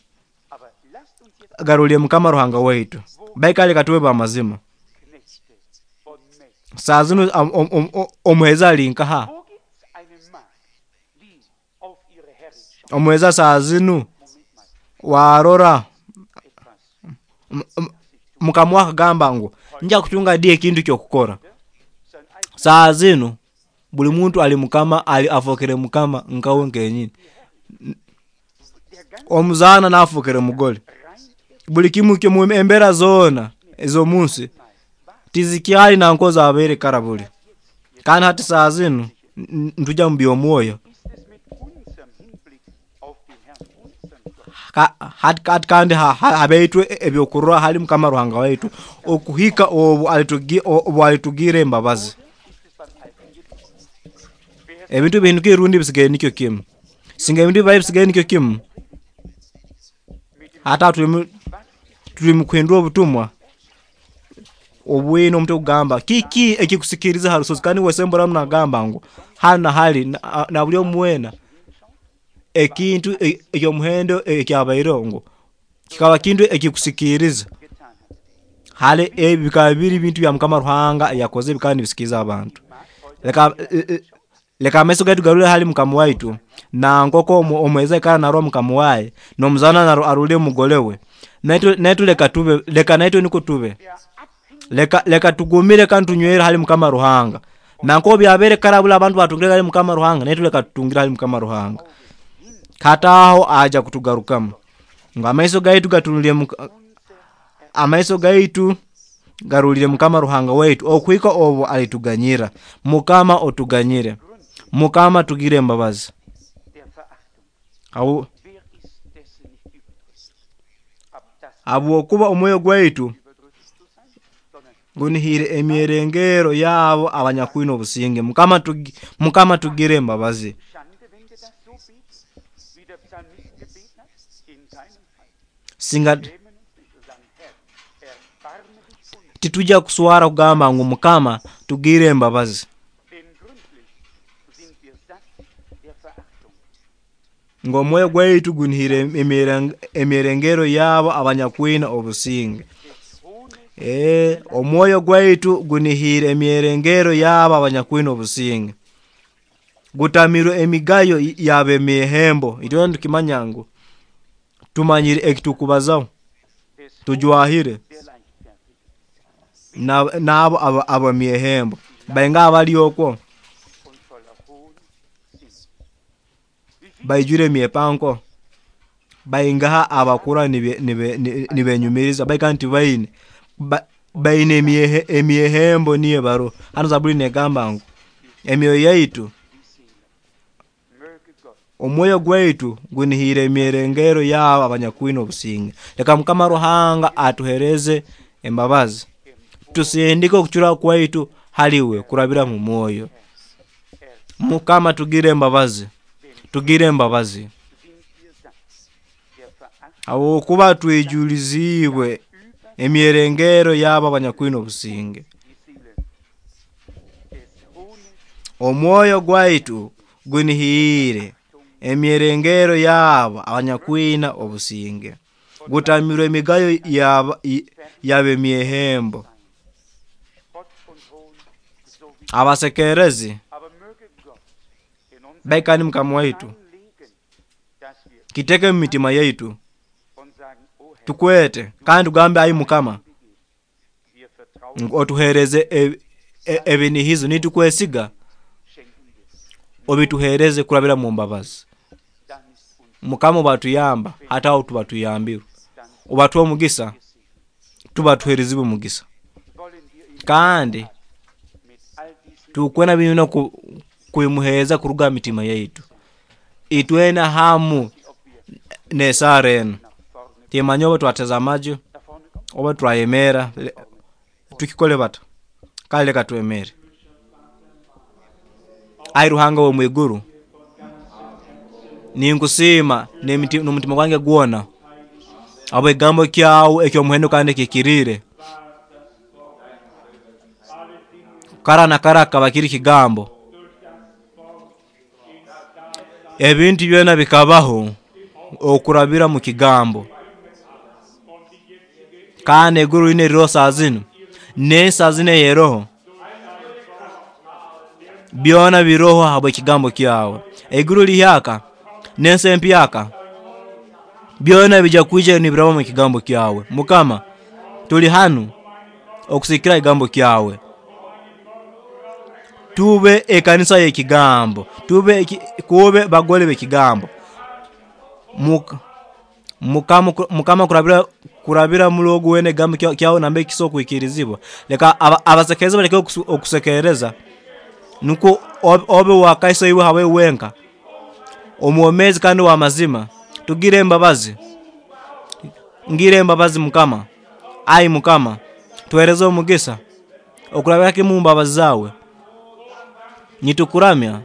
garolire Mukama Ruhanga waitu, baikale katube b'amazima. Saa zinu omuheereza ali nkaha? Omuheereza saa zinu warora Mukama akagamba ngu nja kutunga di ekintu ky'okukora. Saa zinu buli muntu ali Mukama, ali afokere Mukama nkawe nkenyini. Omuzaana naafokere mugole. Buli kimu kimu embeera zoona ez'omunsi tizikyali nanko zabaire kara buli. Kandi hati saa zinu ntujya mu by'omwoyo. Hati kandi habaitwe ebyokurora hali Mukama Ruhanga waitu okuhika obu alitugira embabazi. Ebintu bihindukire rundi bisigaire nikyo kimu. Singa ebintu bibaire bisigaire nikyo kimu, hati tuli mu kuhindura obutumwa obwine omutwe kugamba kiki ekikusikiriza ha rusozi, kandi wesemburamu nagamba ngu hanu na hali na buli omu weena ekintu eky'omuhendo ekyabaireho ngu kikaba kintu ekikusikiriza. Hali ebi bikaba biri bintu bya Mukama Ruhanga yakoze bikaba nibisikiriza abantu. Leka amaiso gaitu garole hali Mukama waitu, na nkoko omuheereza aikara narora Mukama waye, n'omuzaana arole omugole we. Naitwe leka tube, leka naitwe nukwo tube. Leka tugumire kandi tunywere hali Mukama Ruhanga. Nanko byabaire kara buli abantu batungire hali Mukama Ruhanga, naitwe leka tutungire hali Mukama Ruhanga. Kataho aja kutugarukamu. Ngu amaiso gaitu gatunulire amaiso gaitu garulire Mukama Ruhanga waitu okuhika obu alituganyira. Mukama otuganyire. Mukama tugire embabazi. Habwokuba omwoyo gwaitu gunihire emyerengero yabo abanyakwine obusinge. Mukama tugire embabazi. Singa titujja kuswara kugamba ngu Mukama tugire embabazi. Ngu omwoyo gwaitu gunihire emyerengero yabo abanyakwine obusinge. Omwoyo gwaitu gunihire emyerengero yabo abanyakwine obusinge. Gutamirwe emigayo y'ab'emyehembo. Itwena tukimanya ngu tumanyire ekitukubazaho, tujwahire n'abo ab'emyehembo bainga abali okwo. Baijwire emyepanko, baingaha abakura nibenyumiriza baika nti baine baine emyehembo niyo baro. Hano Zaburi negamba ngu emyoyo yaitu, omwoyo gwaitu gunihire emyerengero yabo abanyakwine obusinge. Leka Mukama Ruhanga atuhereze embabazi, tusindike okucura kwaitu haliwe kurabira mu mwoyo. Mukama tugire embabazi, tugire embabazi, habwokuba twijuliziibwe emyerengero yabo abanyakwine obusinge. Omwoyo gwaitu gunihiire emyerengero yabo abanyakwina obusinge, gutamirwe emigayo y'ab'emyehembo, abasekerezi. Baikani Mukama waitu, kiteke mu mitima yaitu, tukwete kandi tugambe, ai Mukama, otuhereze ebinihizo, nitukwesiga obituhereze kurabira mu mbabazi. Mukama obatuyamba, hati aho tuba tuyambirwe, obatuha omugisa, tuba tuherezibwe omugisa. Kandi tukwena bino kubimuhereza kuruga mitima yaitu, itwena hamu nesara enu. Timanya oba twateza amaju oba twayemera, tukikole bata? Kale leka twemere. Ai Ruhanga w'omwiguru, ninkusiima n'omutima gwange gwona habw'ekigambo kyawe eky'omuhendo kandi ekihikiriire. Kara na kara kikaba kiri kigambo, ebintu byona bikabaho okurabira mu kigambo. Kandi eiguru lino eriroho saa zinu, n'ensi saa zinu eyeroho, byona biroho habw'ekigambo kyawe. Eiguru lihyaka n'ensi empyaka, byona bijya kwija nibiraba mu kigambo kyawe. Mukama, tuli hanu okusikira ekigambo kyawe. Tube ekanisa y'ekigambo, tube kube bagole b'ekigambo. Mukama kurabira muri ogu wena ekigambo kyawe nambere kisobora okwikirizibwa. Leka abasekereza baleke okusekereza, nukwo obe wakaiso iwe habwawe wenka, omwomezi kandi ow'amazima. Tugire embabazi, ngire embabazi Mukama. Ai Mukama, tuhereze omugisa okurabira kimu mbabazi zawe. Nitukuramya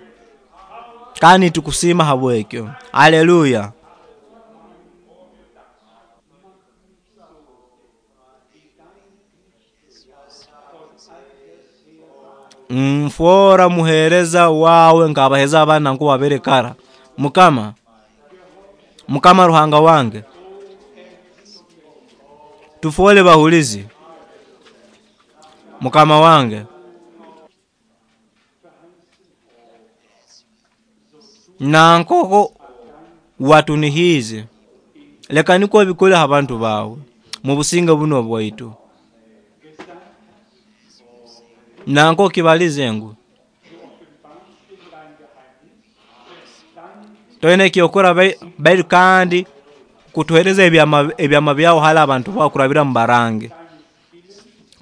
kandi nitukusiima habwekyo. Haleluya. Nfoora muhereza wawe nk'abahereza abandi nanko wabere kara. Mukama, Mukama Ruhanga wange, tufoole bahulizi. Mukama wange, nankoko watunihiize, leka nikwo obikole ha bantu bawe mu businge buno bwaitu. Nanko kibalize ngu toine ekyokora baitu kandi kutuhereza ebyama byawe hali abantu bawe kurabira mu barangi.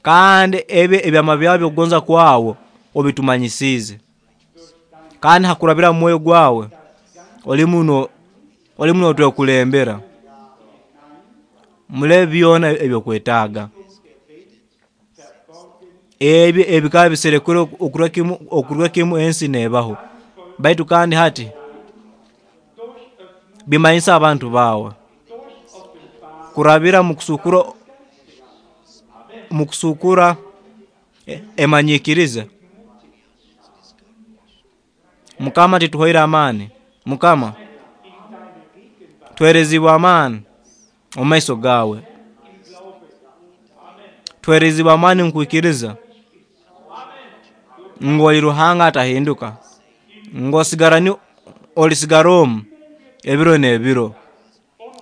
Kandi ebi ebyama byawe by'okugonza kwawe obitumanyisiize. Kandi hakurabira mu mwoyo gwawe olimu notwekulembera mule byona ebyokwetaaga. Ebi ebikaba biserekere okuruga kimu ensi nebaho, baitu kandi hati bimanyisa abantu bawe kurabira mu kusukura emanyikiriza. Mukama tituhoire amaani. Mukama tuherezibwe amaani omu maiso gawe, tuherezibwe amaani nkwikiriza ngu oli Ruhanga atahinduka, ngu olisigara omu ebiro n'ebiro.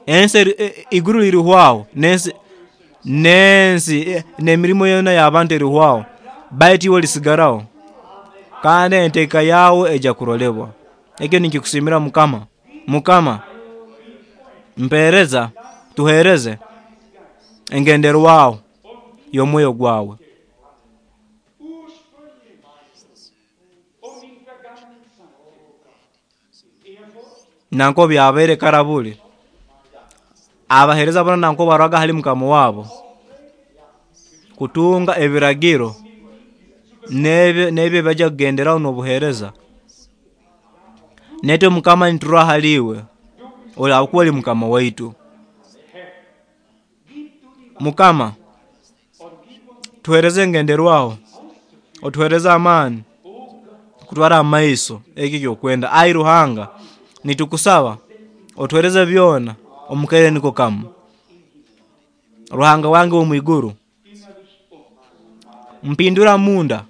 Ensi iguru lirihwaho, n'ensi n'emirimo yona y'abantu erihwaho, baitu iwe olisigaraho, kandi enteeka yawe ejya kurolebwa. Ekyo ninkikusiimira Mukama. Mukama, mpereza, tuhereze engenderwaho y'omwoyo gwawe. Nanko byabaire karabuli abahereza bona nanko barwaga hali mukama wabo kutunga ebiragiro n'ebyo bajja kugenderaho n'obuhereza. Netwe Mukama niturwa haliwe olakuwa oli Mukama waitu. Mukama, tuhereze engenderwaho, otuhereze amaani kutwara amaiso eki kyokwenda. Ai Ruhanga, nitukusaba otuhereze byona omukaire niko kamu. Ruhanga wange w'omwiguru, mpindura munda,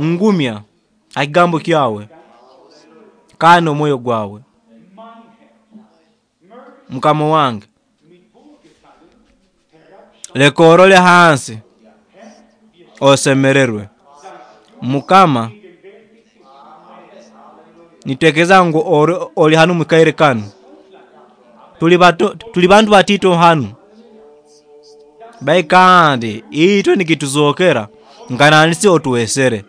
ngumya ekigambo kyawe kandi omwoyo gwawe. Mukama wange, leka orole hansi osemererwe. Mukama, nitekereza ngu oli hanu mukaire kanu. Tuli bantu batito hanu, bai kandi itwe nikituzokera nkananisi otuwesere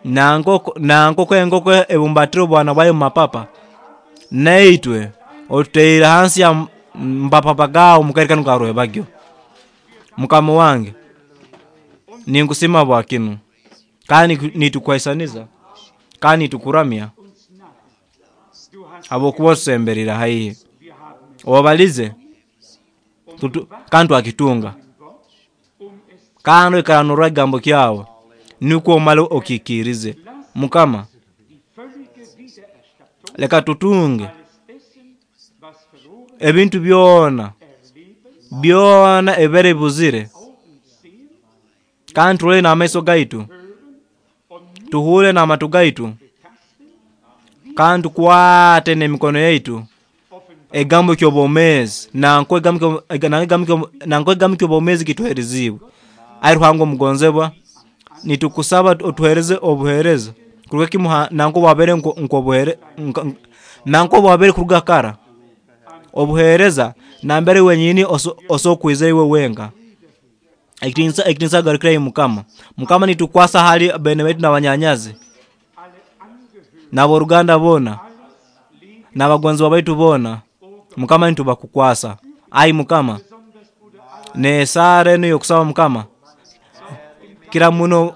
nankoko enkoko ebumbatire obwana bwayo mumapapa, naitwe otuteire hansi ya mapapa gawe mukaire kanu karwebagyo. Mukama wange, ninkusima bwa kinu kandi nitukwaisaniza kandi nitukuramya habwokuba otusemberire haihi. Obalize kandi twakitunga, kandi oikara norora ekigambo kyawe nukwo omale okikirize. Mukama, leka tutunge ebintu byona byona ebibere bibuzire, kandi turole n'amaiso gaitu, tuhure n'amatu gaitu, kandi tukwate n'emikono yaitu ekigambo ky'obwomeezi nanko ekigambo ky'obwomeezi kituheerezibwe. Ai Ruhanga omugonzebwa, nitukusaba otuhereze obuhereza kuruga kimu nanko bwabere nanko bwabere kuruga kara obuhereza nambere wenyini osokwiza iwe wenka. Ekitinisa garukira Mukama. Mukama, nitukwasa hali bene baitu n'abanyanyazi n'aboruganda bona n'abagonzibwa baitu bona. Mukama, nitubakukwasa. Ai Mukama, nesara eno yokusaba Mukama kira muno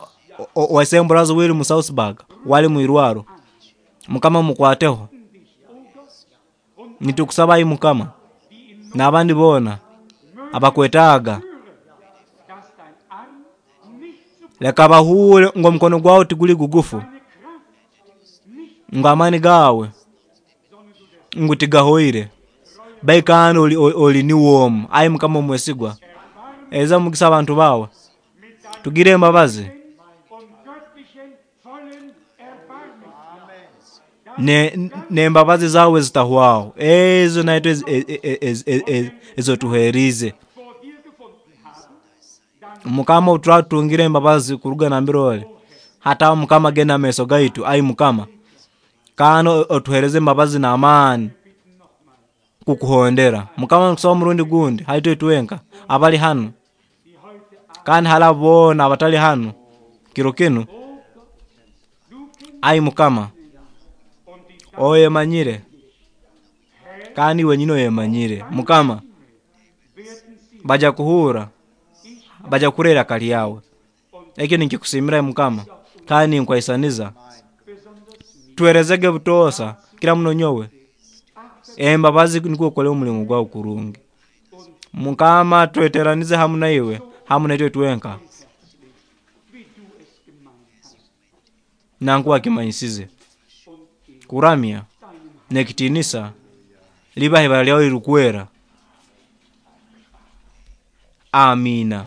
waisemburazo wiri mu Southburg wali mwirwaro. Mukama, mukwateho. Nitukusaba ai Mukama n'abandi bona abakwetaaga, leka bahure ngo omukono gwawe tiguli gugufu, ngo amani gawe ngu tigahoire, baikandi oli niwomu. Ai Mukama omwesigwa, eza mugisa abantu bawe, tugire embabazi n'embabazi zawe zitahwaho, ezo naitwe ezotuherize. Mukama, oturatungire embabazi kuruga nambere oli, hataho Mukama genda amaiso gaitu. Ai Mukama, kandi otuhereze embabazi n'amaani kukuhondera. Mukama, nkusaba omurundi gundi halitwe twenka abali hanu kandi hali abo boona abatali hanu kiro kinu. Ai Mukama, oyemanyire kandi wenyini oyemanyire. Mukama, baja kuhura, baja kurera iraka lyawe. Ekyo ninkikusimira Mukama, kandi ninkwaisaniza. Tuherezege butoosa kira muno nyowe embabazi nikwo okole omulimu gwawe kurungi. Mukama, tweteranize hamu naiwe, hamu naitwe twenka nankuwa kimanyisize kuramya n'ekitinisa liba ibara lyawe lirikwera. Amina.